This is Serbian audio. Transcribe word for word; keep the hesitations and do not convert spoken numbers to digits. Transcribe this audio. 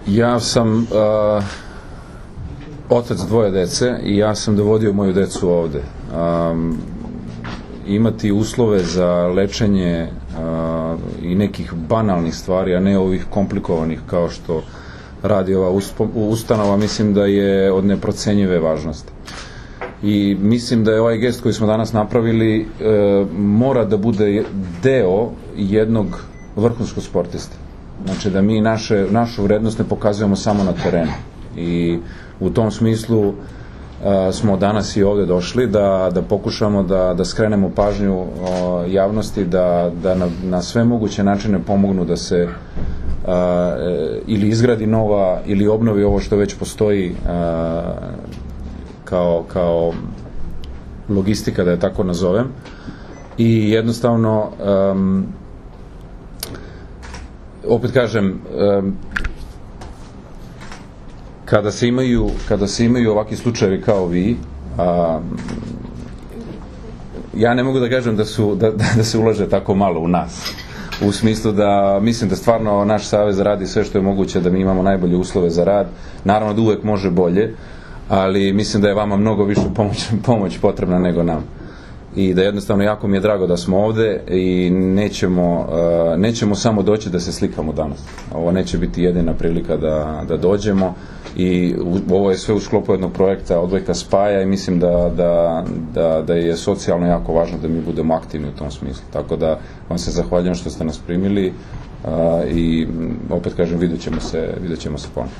Ja sam uh, otac dvoje dece i ja sam dovodio moju decu ovde. Um, imati uslove za lečenje uh, i nekih banalnih stvari, a ne ovih komplikovanih kao što radi ova ustanova, mislim da je od neprocenjive važnosti. I mislim da je ovaj gest koji smo danas napravili e, mora da bude deo jednog vrhunskog sportiste. Znači da mi naše, našu vrednost ne pokazujemo samo na terenu. I u tom smislu e, smo danas i ovde došli da, da pokušamo da, da skrenemo pažnju o, javnosti, da, da na, na sve moguće načine pomognu da se a, e, ili izgradi nova ili obnovi ovo što već postoji a, kao, kao logistika, da je tako nazovem, i jednostavno um, opet kažem, um, kada se imaju kada se imaju ovakvi slučajevi kao vi, a, ja ne mogu da kažem da, su, da, da se ulaže tako malo u nas, u smislu da mislim da stvarno naš savez radi sve što je moguće da mi imamo najbolje uslove za rad. Naravno da uvek može bolje, ali mislim da je vama mnogo više pomoć, pomoć potrebna nego nam. I da jednostavno jako mi je drago da smo ovde i nećemo, uh, nećemo samo doći da se slikamo danas. Ovo neće biti jedina prilika da, da dođemo i u, ovo je sve u sklopu jednog projekta Odbojka spaja i mislim da, da, da, da je socijalno jako važno da mi budemo aktivni u tom smislu. Tako da vam se zahvaljujem što ste nas primili uh, i opet kažem, vidjet ćemo se, vidjet ćemo se ponovno.